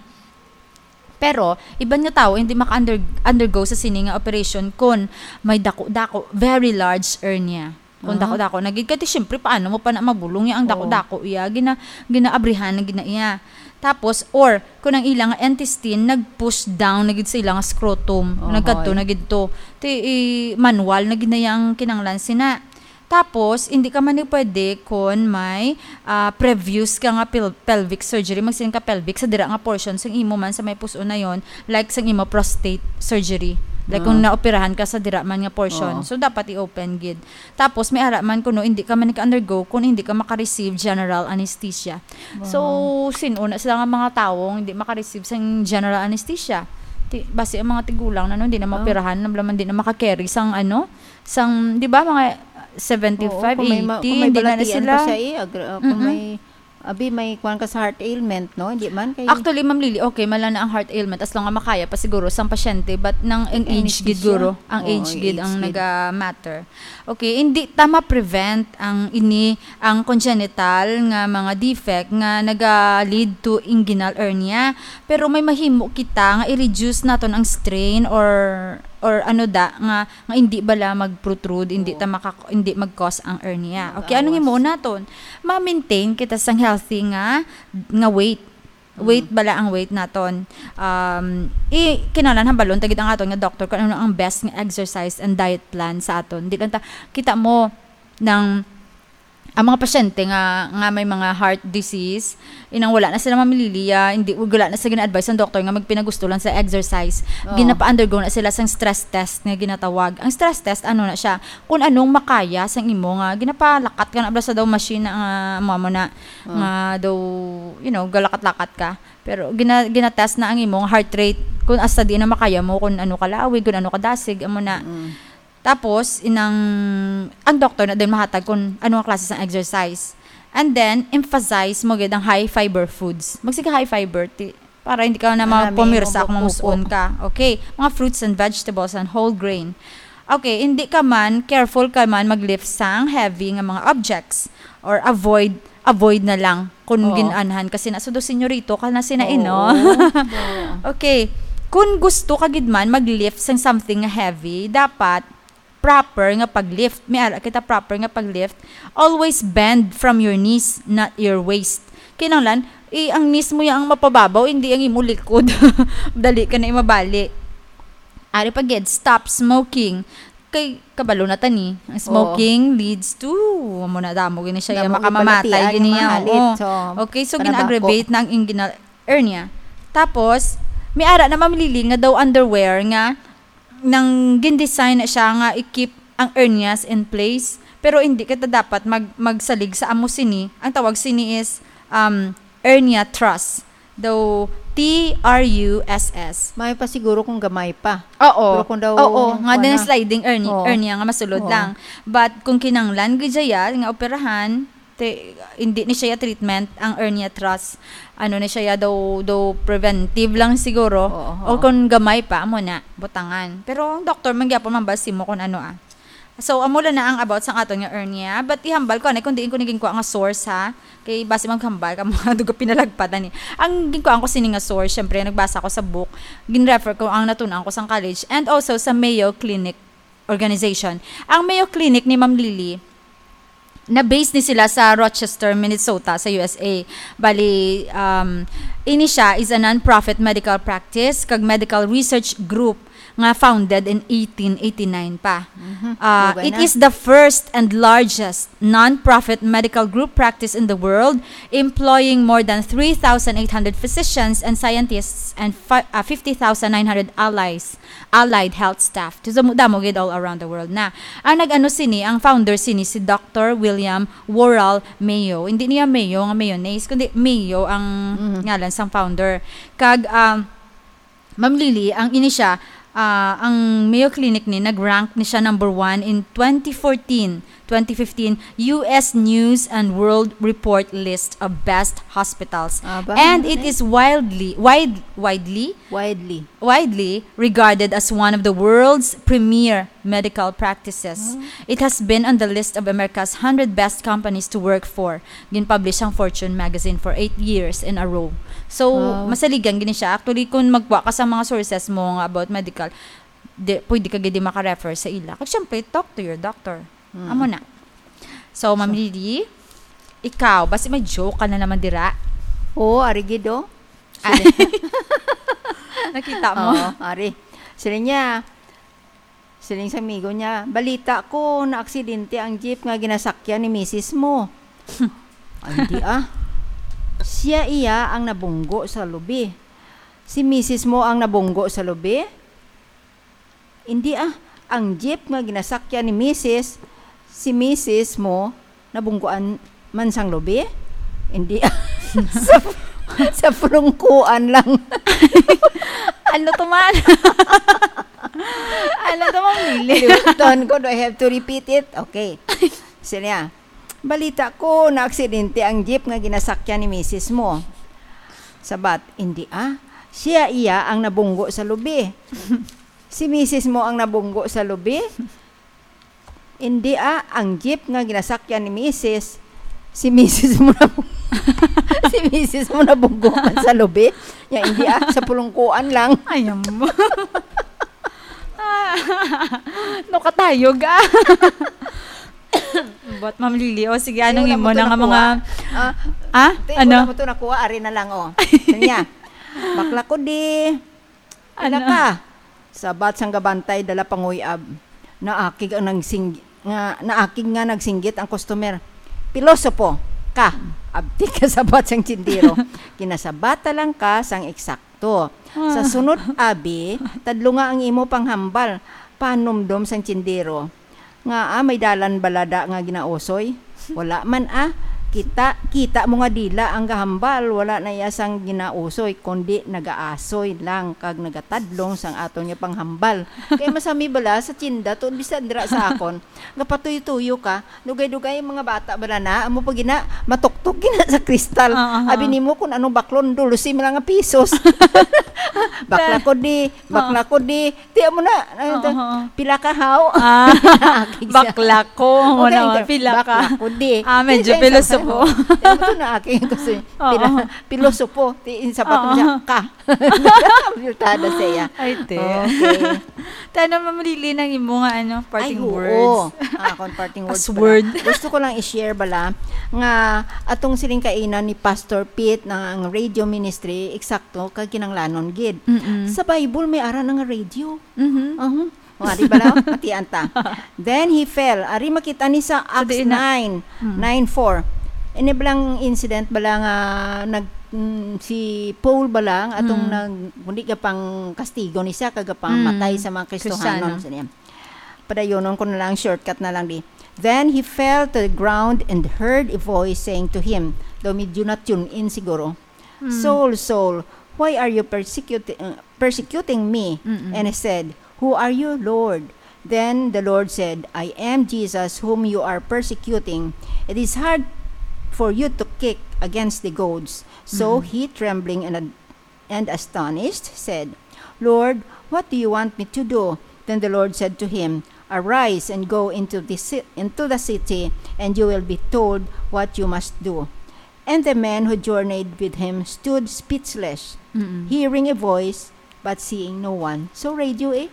Pero, iban nga tawo hindi maka-under-, undergo sa sini nga operation kung may dako-dako, very large hernia. Kung Ah. dako-dako na gid, kay ti, syempre, paano mo pa na mabulong ya ang Oo. dako-dako iya? Gina-, ginaabrihan na gid na iya. Tapos, or, kung ang ilang intestine, nag-push down na gid sa ilang scrotum. Ohoy. Nagkadto na gid to. Ti, i-, manual na gid na yang kinanglan sina. Tapos, hindi ka man ni pwede kung may, ah, previous ka nga pel-, pelvic surgery, magsiling ka pelvic, sa dira nga portion, sa imo man sa may pus-on na yon, like sa imo prostate surgery. Like, kung Ah. naoperahan ka sa dira man nga portion. Oo. So, dapat i-open gid. Tapos, may ara man kuno, hindi ka man ka-undergo kung hindi ka maka-receive general anesthesia. So, Wow. sin-o na sila nga mga tawong hindi maka-receive sang general anesthesia? Ti-, basi ang mga tigulang na, no, hindi na Ah. maoperahan, na, hindi na maka-carry sang, ano, sang, di ba, mga seventy-five, Oo, kung may ma-, eighty, kung may hindi na, na balatian sila. pa siya, eh, agra-, ah, kung Mm-mm. may Abi, may kuwan ka sa heart ailment, no? Hindi man kay Actually, Ma'am Lily, okay man lang na ang heart ailment as long nga makaya pa siguro sang pasyente, but nang ang Kay age gid anesthesia. guro, ang Oo, age ang gid age ang gid. naga-matter. Okay, hindi ta ma-prevent ang ini, ang congenital nga mga defect nga naga-lead to inguinal hernia, pero may mahimo kita nga i-reduce naton ang strain or or ano da nga nga hindi bala mag-protrude, hindi Oo. ta maka, hindi mag-cause ang hernia. Okay, anong Mag-awas. imo naton? Ma-maintain kita sang healthy nga nga weight. Weight bala ang weight naton. Um, i kinahanglan hambalon ta gid ang aton nga doktor kung ano ang best nga exercise and diet plan sa aton. Di lang ta kita mo nang ang mga pasyente nga nga may mga heart disease, inang wala na sila mamililiya, hindi, wala na sila gina-advise ang doktor nga magpinagusto lang sa exercise. Oo. Ginapa-undergo na sila sang stress test nga ginatawag. Ang stress test, ano na siya, kung anong makaya sang imo nga ginapalakat ka na bala sa daw machine na nga amo na Oh. nga daw, you know, galakat-lakat ka. Pero gina, gina-test na ang imong heart rate, kung hasta di na makaya mo, kung ano ka lawig, kung ano ka dasig, amo na. Mm. Tapos, inang, ang doktor na din mahatag kung ano ang klase sang exercise. And then, emphasize mo gid ang high fiber foods. Magsige high fiber, ti, para hindi ka na Ah, magpumirsa may kung ubo-ubo. mamusuon ka. Okay, mga fruits and vegetables and whole grain. Okay, hindi ka man, careful ka man mag-lift sang heavy nga mga objects or avoid, avoid na lang kung Oo. gin-anhan kasi na sudo senyorito ka na sina Oo. ino. Oo. Okay, kung gusto ka gid man mag-lift sang something nga heavy, dapat proper nga pag-lift. May ara kita proper nga pag-lift. Always bend from your knees, not your waist. Kinahanglan, i ang knees mo yang mapababaw, hindi ang imo likod. Dali ka na imabali. Ari pa gid, stop smoking. Kay kabalo na tani, ang smoking leads to, amo na damo gini siya, Damo makamamatay gid balatian gini nga yan. mahalit. Oo. So, Okay, so panabako. gin-aggravate na ang inguinal hernia. Tapos, may ara na mamilili nga daw underwear nga nang gin-design na siya nga i-keep ang hernias in place. Pero hindi kita dapat mag magsalig sa amo sini. Ang tawag sini is um, hernia truss. Daw T R U S S. May pa siguro kung gamay pa. Oo. Pero kung daw, Oo, nga kuwan din na. Sliding hernia, Oo. hernia nga masulod Oo. lang. But kung kinanglan gid siya nga operahan, te, hindi ni siya treatment ang hernia truss. Ano ni siya daw, daw preventive lang siguro. Oo, O oo. kung gamay pa, amo na, butangan. Pero ang doktor man gyapon mambal simo kung ano ah. So, amo lang na ang about sa aton nga hernia. But ihambal ko ani kung diin ko ni ginkuha nga source ha. Kay basi maghambal ka mga dugo pinalagpatan ni. Ang ginkuha ko sini nga source, syempre nagbasa ko sa book. Gin-refer ko ang natun-an ko sang college and also sa Mayo Clinic organization. Ang Mayo Clinic ni Ma'am Lily, na-base ni sila sa Rochester, Minnesota, sa U S A. Bali, um, ini siya is a non-profit medical practice kag medical research group nga founded in eighteen eighty-nine pa. Mhm. Uh, Dugay it na. is the first and largest non-profit medical group practice in the world, employing more than three thousand eight hundred physicians and scientists and fi- uh, fifty thousand nine hundred allies, allied health staff. So, damo, damo gid all around the world na. Ang nag-ano sini, ang founder sini si Doctor William Worrall Mayo. Hindi niya Mayo nga mayonnaise, kundi Mayo ang Mhm. ngalan sang founder. Kag, um, Ma'am Lily, ang ini siya, ah, ang Mayo Clinic ni nag-rank ni siya number one in twenty fourteen, twenty fifteen U S News and World Report list of best hospitals. Ah, ba? And Ano it na is wildly, wide, widely, Widely. widely regarded as one of the world's premier medical practices. Ah. It has been on the list of America's hundred best companies to work for. Gin-publish ang Fortune magazine for eight years in a row. So, Wow. masaligan gini siya. Actually, kung magkuha ka sa mga sources mo nga about medical, di, pwede ka gid maka-refer sa ila. Kag syempre, talk to your doctor. Mm. Amo na. So, Ma'am Lily, ikaw, basi may joke ka na naman dira. Oo, ari gid, oh. Ah. Nakita mo? Oo, ari. Sila niya, siling sa amigo niya, "Balita ko, naaksidente ang jeep nga ginasakyan ni misis mo." Ay, hindi ah. Siya iya ang nabunggo sa lubi. Si misis mo ang nabunggo sa lubi? Hindi ah. Ang jeep nga ginasakyan ni misis, si misis mo, nabungguan man sang lubi? Hindi ah. sa, sa pulungkuan lang. Ano to man? Ano to, Ma'am Lily? Liwton ko, do I have to repeat it? Okay. Sila. Balita ko, naaksidente ang jeep nga ginasakyan ni misis mo. Sabat, "Indi ah. Siya iya ang nabunggo sa lubi." "Si misis mo ang nabunggo sa lubi?" "Indi ah, ang jeep nga ginasakyan ni misis, si misis mo na, si misis mo nabunggo man sa lubi. Nya indi ah, sa pulungkuan lang." Ay, amo. No, katayog, ah. But, Ma'am Lily, o sige, anong Wala imo mo to na nga nakuha. mga, Ah, ah? Te, Ano? Wala mo to nakuha, ari na lang, oh. Kanya, "Bakla ko di. Ano? Wala ka." Sabat sang gabantay, dala panguyab. Naakig ang nagsing-, nga, naakig nga nagsinggit ang customer. "Pilosopo ka." Abtik ka sabat sang tindero. Kinasabata lang ka sang eksakto. Sa Ah. sunod, abi, tadlunga ang imo panghambal, panumdom sang tindero. "Nga, ah, may dalan balada nga ginausoy?" "Wala man, ah. Kita, kita mo nga dila ang gahambal, wala na iya sang ginausoy, kundi nagaasoy lang kag nagatadlong sang aton nga panghambal." Kay masami bala sa tinda, tuod bisan dira sa akon, gapatuyo-tuyo ka, dugay-dugay ang mga bata bala na, amo pa gina, matuktok gina sa kristal. Ah, aha. Abi nimo kung anong baklon, dulusi man lang nga pisos. "Bakla ko di, bakla ko di." Ti amo na, ano to? Oo, oo. "Pila ka, haw?" Ah, Akig siya. Bakla ko. Amo Okay, na, ito. Pila ka? Bakla ko di. Ah, medyo Ti, ti, filosopo. Amo to na, akig ko si Oo. pila, pilosopo. Ti, insa pa to Oo. siya? Ka. Abultada siya. Ay, te. Okay. Tana, Ma'am Lily, nang imo nga, ano, parting Ay, oo. words. Ah, akong parting words As pala. word. Gusto ko lang i-share bala nga atong siling kainan ni Pastor Pete na ang radio ministry, eksakto, kag kinanglanon gid. Mm-mm. Sa Bible, may ara na nga radio. Mhm. Aha. O, ari bala, matian ta. "Then he fell." Ari makita ni sa So, Acts di na. nine, Mm. nine four. Ini balang incident bala nga nag-, mm, si Paul bala nga atong Mm. nag-, kundi ka pang kastigo ni siya, kag pang Mm. matay sa mga Kristohanon, Kristiyano. sa niya. Padayonon ko na lang, shortcut na lang di. "Then he fell to the ground and heard a voice saying to him," daw medyo na-tune in siguro, Mm. "Saul, Saul, why are you persecuti-, uh, persecuting me?" Mm-mm. And he said, "Who are you, Lord?" Then the Lord said, "I am Jesus whom you are persecuting. It is hard for you to kick against the goads." So Mm-mm. he, trembling and ad-, and astonished, said, "Lord, what do you want me to do?" Then the Lord said to him, "Arise and go into the ci-, into the city, and you will be told what you must do." And the men who journeyed with him stood speechless, Mm-mm. hearing a voice, but seeing no one. So, radio eh.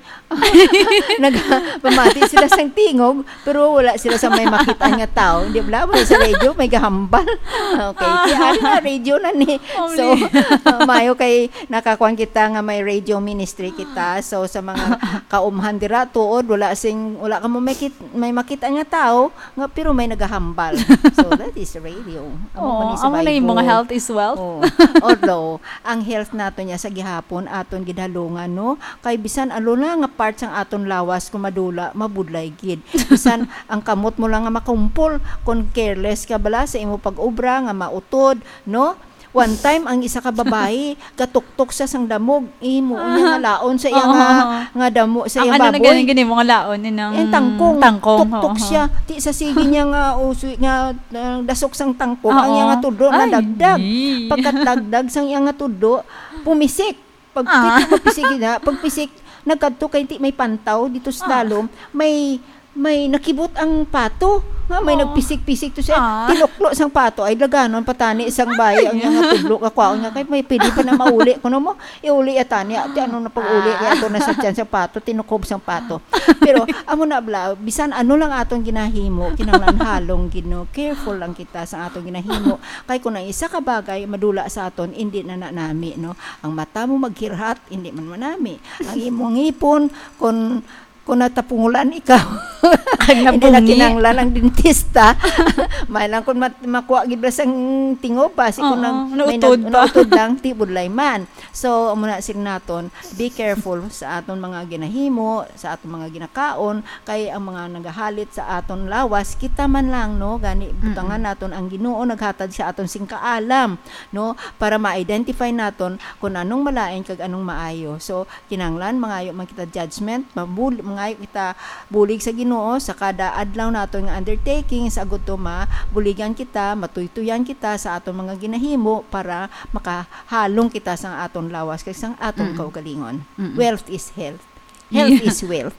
Nagpamati sila sang tingog, pero wala sila sa may makit-an nga tao. Hindi, wala mo sa radio, may gahambal. Okay, Ah. kaya ari na, radio na ni. Oh, So, really? uh, mayo kay nakakuan kita nga may radio ministry kita. So, sa mga kaumhan dira, tuod, wala sing, wala ka mo may kit-, may makit-an nga tao, nga, pero may nagahambal. So, that is radio. Amo Oo, man ni sa amo na yung mga Bible. Health is wealth. Oo. Although, ang health nato niya sa gihapon, aton gidalungan, no? Kay bisan ano na nga part sang aton lawas kung madula, mabudlay gid. Bisan ang kamot mo lang nga makumpol, kung careless ka bala sa imo pag-obra nga mautod, no? One time, ang isa ka babayi, gatuktok siya sang damog, imo niya nga laon sa iya nga, Oo. nga damo sa Ang iya ano na baboy. gani, gani mo nga laon, yun ang Yung tangkong, tangkong, tuktok oo. siya. Ti sa sige niya nga, uso-, nga, uh, dasok sang tangkong, ang Oo. iya nga tudlo Ay, nadagdag. yee. Pagkadagdag sang iya nga tudlo, pumisik. Pag Ah. pito, pagpisik na, pagpisik, nagkadto kay ti may pantaw dito sa Ah. dalom, may, may nakibot ang pato, nga may Oh. nagpisik-pisik to siya. Ah. Tinuklo sang pato, ay laganon patani sang bayi, ang iya nga tudlo, kakwaon niya, kay may pwede pa na mauli. Kuno mo, iuli ata niya, ti ano na pag-uli, Ah. kaya ito na sa tiyan sa pato, tinukob sang pato. Pero, amo na bala, bisan ano lang aton ginahimo, kinahanglan halong gid, no? Careful lang kita sa aton ginahimo. Kay kung ang isa ka bagay, madula sa aton, hindi na na nami, no? Ang mata mo maghirhat, hindi man manami. Ang imong ngipon, kung, kung natapungulan ikaw, Ang hindi na nabungi. kinahanglan ang dentista. May lang kung mat-, makuha gid ba sang tingob, basi kung Oo, nag-, may nautod nag-, ba? nautod lang, ti budlay man. So, amo na sila naton, be careful sa aton mga ginahimo, sa aton mga ginakaon, kay ang mga nagahalit sa aton lawas, kita man lang, no, gani butangan Mm-mm. naton ang Ginoo naghatag sa aton sing kaalam, no, para ma-identify naton kung anong malain kag anong maayo. So, kinahanglan mangayo man kita judgment, mabul-, mangayo kita bulig sa Ginoo sa kada adlaw naton nga undertaking, sa gudto mabuligan kita, matuytuyan kita sa aton mga ginahimo para makahalong kita sa aton lawas kag sa aton Mm. kaugalingon. Mm-mm. Wealth is health. Health Yeah. is wealth.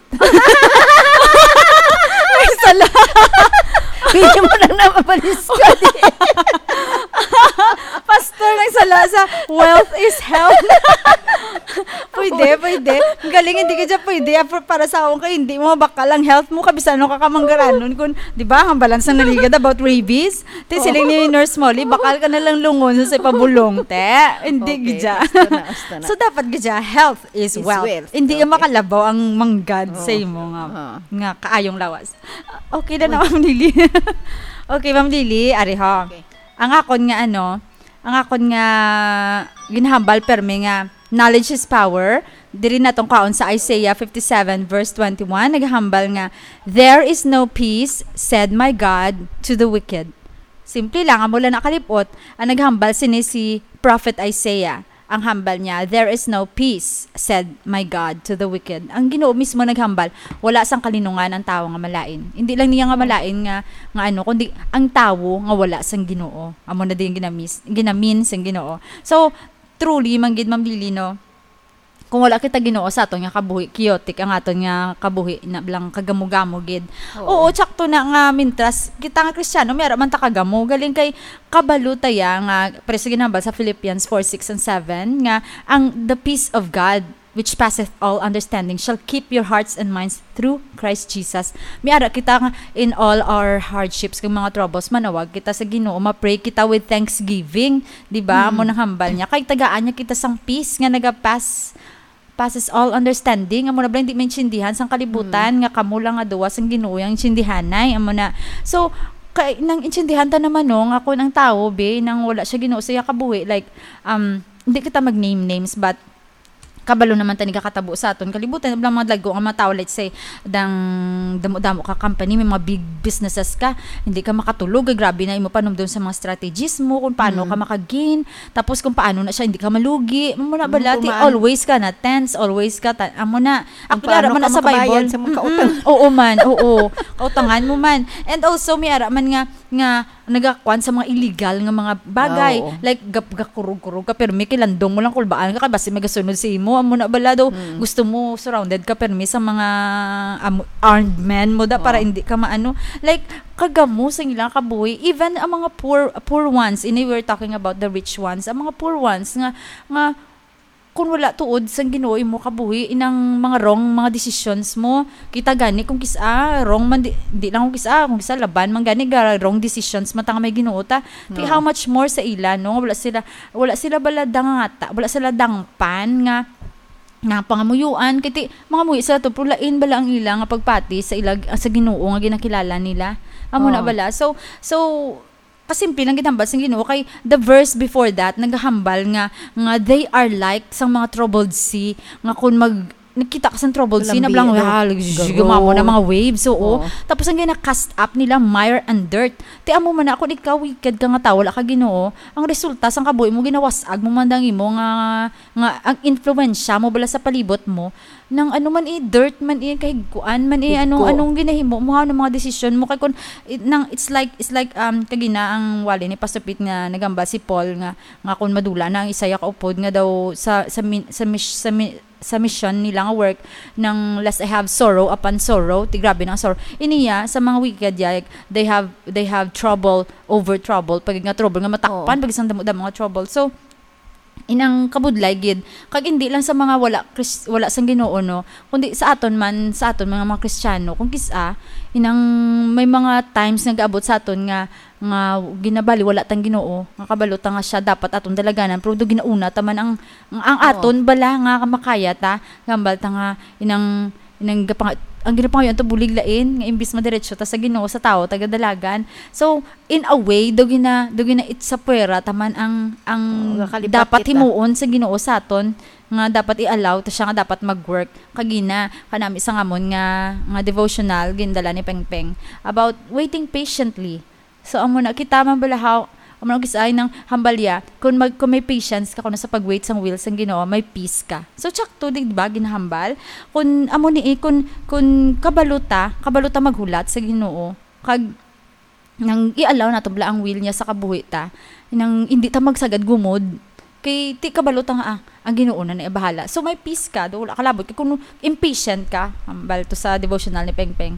May sala. Pwede mo na na mapalis ka. Pastor, nagsala sa wealth is health. Pwede, pwede. Ang galing, hindi ka dyan pwede. Ah, pa-, para sa akon kay hindi mo mabakal ang health mo, kabisan ano ka kamanggaranon. Kung, di ba, ang balance ang naligad about rabies. Te, siling ni Nurse Molly, bakal ka na lang lungon sa ipabulong, te. Hindi Okay, gidya. basta na, basta na. So, dapat gidya, health is Is wealth. wealth. Hindi Okay. makalabaw ang manggad sa Oo. imo nga, Oo. nga kaayong lawas. Okay na na, Ma'am Lily. Okay, Ma'am Lily, ari ho. Okay. Ang akon nga ano, ang akon nga ginahambal permi nga knowledge is power. Diri natong kaon sa Isaiah fifty-seven verse twenty-one, naghambal nga, "There is no peace, said my God, to the wicked." Simple lang, amo lang nakalipot, ang naghambal sini si Prophet Isaiah. Ang hambal niya, "There is no peace, said my God, to the wicked." Ang Ginoo mismo naghambal, wala sang kalinungan ang tawo nga malain. Hindi lang niya nga malain nga, nga ano, kundi ang tawo nga wala sang Ginoo. Amo na din ginamis-, ginamin sang Ginoo. So, truly, man gid, Ma'am Lily, no? Kung wala kita Ginoo sa aton nga kabuhi, chaotic ang aton nga kabuhi, na lang kagamo-gamo gid. Oo. Oo, tsakto na nga, mintras kita nga Kristiyano, may ara man ta kagamo. Galing kay kabalo ta ya nga, pero sa ginambal sa Philippians four, six, and seven, nga ang the peace of God, which passeth all understanding, shall keep your hearts and minds through Christ Jesus. May ara kita nga in all our hardships, kag mga troubles, manawag kita sa Ginoo, ma-pray kita with thanksgiving, di ba? Mm. Amo nang hambal niya. Kay tagaan niya kita sang peace nga nagapas-, passes all understanding. Amo na bala, hindi maintindihan sang kalibutan Mm. nga kamo lang nga duwa sang Ginoo ang intindihanay. Amo na. So, kay, nang intindihan ta naman, no, nga kung ang tawo, be, nang wala siya Ginoo sa iya kabuhi, like, um, hindi kita mag-name names, but kabalo naman ta ni kakatabo sa aton kalibutan, bala mga dagko nga mga tawo, let's say, dang damo-damo ka company, may mga big businesses ka, hindi ka makatulog, ay grabe na imo panumdom sa mga strategies mo, kung paano Mm. ka maka-gain, tapos kung paano na siya hindi ka malugi, amo na Mm, bala, ti, kumaan. Always ka na tense, always ka ta-, amo na. Kung Actually, ara paano man ka na sa makabayad Bible. sa mga Mm-mm. kautang. Oo man, oo. Kautangan mo man. And also, may ara man nga, nga nagakuan sa mga illegal nga mga bagay. Ah, oo. Like, gap-, gakurog-kurog ka, pero may kilandong mo lang, kulbaan ka, kay basi may gasunod sa imo. Amo na bala daw, Mm. gusto mo surrounded ka, pero may sa mga, um, armed men mo da, para Oo. hindi ka maano. Like, kagamo sa ilang kabuhi. Even ang mga poor, poor ones, ini we're talking about the rich ones, ang mga poor ones nga, nga kung wala tuod sang Ginoo imo kabuhi, inang mga wrong mga decisions mo, kita gani kung kis-a wrong man, di, di lang kung kis-a, kung kis-a laban man gani ga wrong decisions man ta nga may Ginoo ta. Ti No. how much more sa ila, no? Wala sila, wala sila bala dangata, wala sila dangpan nga, nga pangamuyoan, kay ti, mangamuyo sila to, pero lain bala ang ila nga pagpati sa ila, sa Ginoo nga ginakilala nila. Amo na Oh. bala. So, so, kasimple lang ginhambal sang Ginoo, kay the verse before that nagahambal nga, nga they are like sang mga troubled sea, nga kung mag-, nagkita ka sang troubled sea, Lambi, nablang, no? ah, lag-, Garo. gumamo na mga waves, oo. Oo. Tapos ang gina-cast up nila, mire and dirt. Ti amo man na, kung ikaw wicked ka nga tawo, wala ka Ginoo, ang resulta sang kabuhi mo, ginawas-ag mo man dang imo nga, nga ang influensya mo bala sa palibot mo, nang ano man, eh, dirt man, eh, kahigkuan man, eh, anong, Higko. anong ginahimo mo, ha, anong mga desisyon mo, kay kun, it, nang, it's like, it's like, um, kagina ang wali ni Pastor Pete nga nagamba si Paul nga, nga kung madula na ang isaya kaupod nga daw sa, sa min-, sa mis-, sa mi-, sa mission nila nga work, nang lest I have sorrow upon sorrow, ti grabe na ang sorrow. Iniya, sa mga wicked, like, they have, they have trouble over trouble, pag nga trouble nga matakpan, Oo. pag isang damo-damo nga trouble. So, inang kabudlay gid, kag hindi lang sa mga wala Kris-, wala sang Ginoo, no, kundi sa aton man, sa aton mga, mga Kristiyano, kung kis-a, inang may mga times nga gaabot sa aton nga, nga ginabali wala tang Ginoo, nga kabalo ta nga siya dapat aton dalaganan, pero do ginauna ta man ang, ang, ang Oo. aton bala nga makaya ta, gambal ta nga inang, inang gapang-, ang ginapangayo to bulig lain, nga imbis madiretso ta sa Ginoo, sa tawo ta gadalagan. So, in a way, do gina-, do gina-, it sa puwera ta man ang, ang Oo, nakalipat dapat kita. himuon sa Ginoo sa aton, nga dapat i-allow ta siya nga dapat mag-work. Kagina, kanami sa ngamon nga, nga devotional, gindala ni Pengpeng, about waiting patiently. So, amo na, kita man bala how, Amo nang kisay nang hambalya, kung mag-, kung may patience ka kuno sa pag-wait sang will sang Ginoo, may peace ka. So, tsakto, di ba, ginahambal? Kung amo ni, eh, kung, kung kabalo ta, kabalo ta maghulat sa Ginoo, kag nang i-allow nato bala ang will niya sa kabuhi ta, nang hindi ta magsagad gumod. Kay ti kabalo ta nga, ah, ang Ginoo na ni bahala. So, may peace ka, do wala ka labot. Kay kung impatient ka, hambal to sa devotional ni Peng Peng,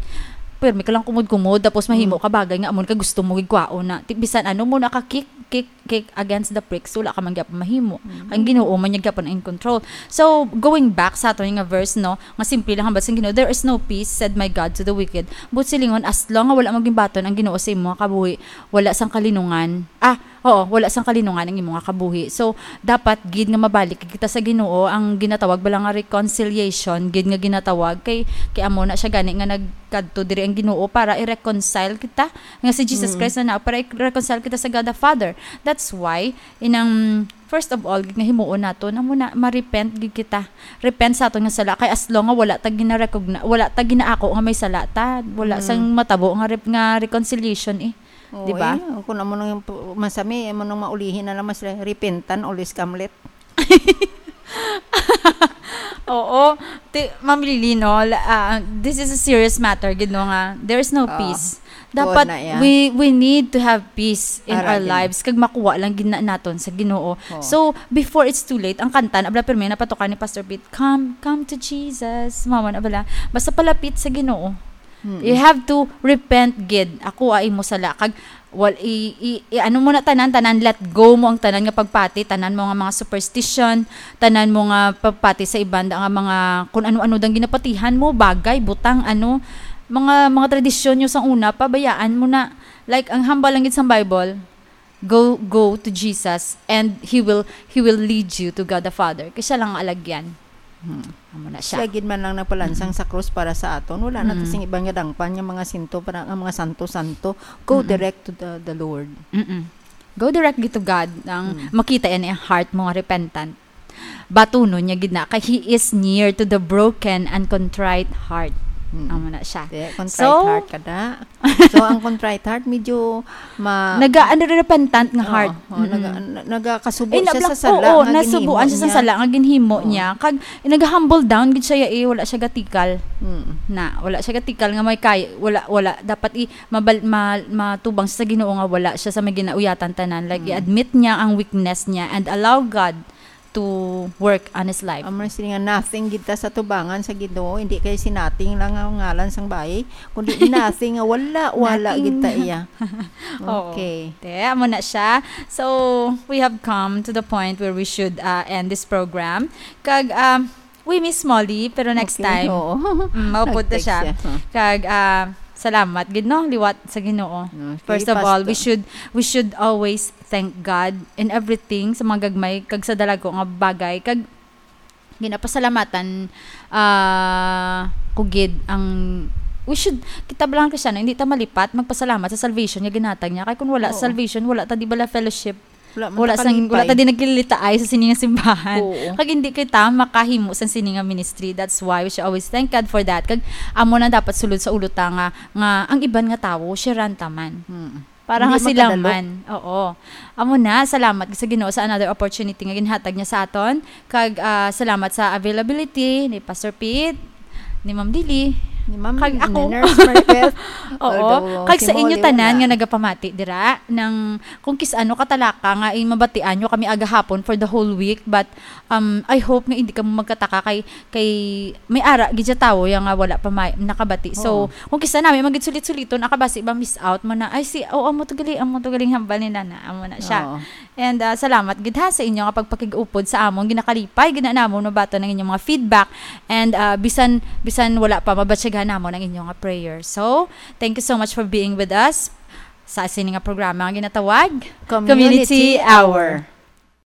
pirmi ka lang kumod-kumod, tapos mahimo Mm. ka bagay nga amo ka gusto mo gigkwaon na. Ti-, bisan ano mo na ka kick, kick, kick against the pricks, wala ka man gyapon mahimo. Mm. Ang Ginoo man niya gyapon in control. So, going back sa ato nga verse, no, nga simple lang hambal sang Ginoo, "There is no peace, said my God, to the wicked." But silingon, as long nga wala maging baton ang Ginoo sa imo nga kabuhi, wala sang kalinungan. Ah, oo, wala sang kalinungan ang imo nga kabuhi. So, dapat gid nga mabalik kita sa Ginoo, ang ginatawag bala nga reconciliation, gid nga ginatawag kay, kay amo na siya gani nga nagkadto diri ang Ginoo para i-reconcile kita, nga si Jesus Mm. Christ na na, para i-reconcile kita sa God the Father. That's why, inang, first of all, gid nga himuon naton, amo na, ma-repent gid kita. Repent sa aton nga sala, kay as long nga wala ta gina-recogni-, wala ta ginaako nga may sala ta, wala Mm. sang matabo nga rep-, nga reconciliation, eh. Oo, Di ba? Eh, kung amo nang p-, masami, amo nang maulihi na lang mas re-, repentan, always come late. Oo. Ti-, Ma'am Lily, no, la-, ah, this is a serious matter, gid, no, nga there is no Oo. peace. Tuod Dapat na, yeah. we, we need to have peace in Ara our din. lives, kag makuha lang gid na naton sa Ginoo. Oo. So, before it's too late, ang kanta na bala pirmi napatukan ni Pastor Pete, "Come, come to Jesus." Mama na bala. Basta palapit sa Ginoo. Mm. You have to repent gid. Ako ay mo sala. Kag, wal-, i, i, i, ano mo na tanan, tanan, let go mo ang tanan nga pagpati, tanan mo nga mga superstition, tanan mo nga pagpati sa iban da nga mga kun ano-ano dang ginapatihan mo, bagay, butang, ano, mga, mga tradisyon nyo sang una, pabayaan mo na. Like, ang hambal lang gid sang Bible, "Go, go to Jesus, and He will, He will lead you to God the Father." Kay siya lang ang alagyan. Hmm. Amo na siya. Siya gid man lang nagpalansang Mm. sa krus para sa aton. Wala na Mm. sing iban nga dangpan nga mga sinto para nga mga santo-santo. Go Mm-mm. direct to the, the Lord. Mm-mm. Go direct gid to God. Ang Mm. makita yan ang heart mo nga repentant. Batunon niya gid na kay He is near to the broken and contrite heart. Mm. Amo na siya. Di, contrite So, heart ka na. So, ang contrite heart, medyo ma- Naga-, ano, repentant nga Oo, heart. oo, Mm-mm. naga-, na-, nagakasubo Eh, siya sa nablak-, sala oo, nga nasubuan ginhimo siya sa niya. sala nga ginhimo Oo. niya. Kag, eh, naga-humble down gid siya, eh, wala siya gatikal. Mm. Na, wala siya gatikal nga may kay-, wala, wala. Dapat i-, mabal-, ma-, matubang siya sa Ginoo nga wala siya sa may ginauyatan tanan. Like, Mm. i-admit niya ang weakness niya and allow God to work on his life. Amo na sila nga nothing gid ta sa tubangan sa Ginoo, hindi kay si nothing lang ang ngalan sang bayi, kundi nothing nga wala, wala Nothing. gid ta iya. Oo. Okay. Te, amo na siya. So, we have come to the point where we should, uh, end this program. Kag, um, we miss Molly, pero next Okay, time, oo. mm, maupod na Nag-text siya. siya, huh? Kag, ah, salamat gid, no, liwat sa Ginoo. Okay, First of all, we Pastor. should, we should always thank God in everything, sa mga gagmay kag sa dalago nga bagay. Kag ginapasalamatan, ah, ko gid ang, we should, kita bilang Kristiyano, hindi ta malipat magpasalamat sa salvation nga ginhatag niya. Kay kung wala Oo. salvation, wala ta di bala fellowship. Wala man Wala ta sang, wala kalipay. ta di nagkilitaay sa sini nga simbahan. Oo. Kag hindi kita makahimo sa sini nga ministry. That's why we should always thank God for that. Kag amo na dapat sulod sa ulo ta nga, nga ang iban nga tawo, sharean ta man. Mm. Para Hindi nga sila makadalo. man. Oo. Amo na, salamat sa Ginoo sa another opportunity nga ginhatag niya sa aton. Kag, ah, salamat sa availability ni Pastor Pete, ni Ma'am Lily, Ni Ma'am kag Lily, ako. ni Nurse Maribeth. Oo. Although Kag si sa inyo Molly tanan wala. nga nagapamati dira, nang kung kis-ano katalaka nga, eh, mabatian nyo kami agahapon for the whole week, but, um, I hope nga hindi kamo magkataka kay, kay may ara gid siya tawo ya nga wala pa may, nakabati. So, Oo. kung kis-a nami, magid sulit-suliton, akabasi ba miss out mo na, "Ay, si, oh, amo to gali, amo to galing hambal ni Nana." Amo na siya. Oo. And, ah, salamat gid ha sa inyo nga pagpakig-upod sa amon, ginakalipay gid na namon mabaton ang inyong mga feedback. And, ah, bisan, bisan wala pa, mabatyagan namon ang inyong nga prayer. So, thank you so much for being with us sa sini nga programa nga ginatawag Community Community Hour. Hour.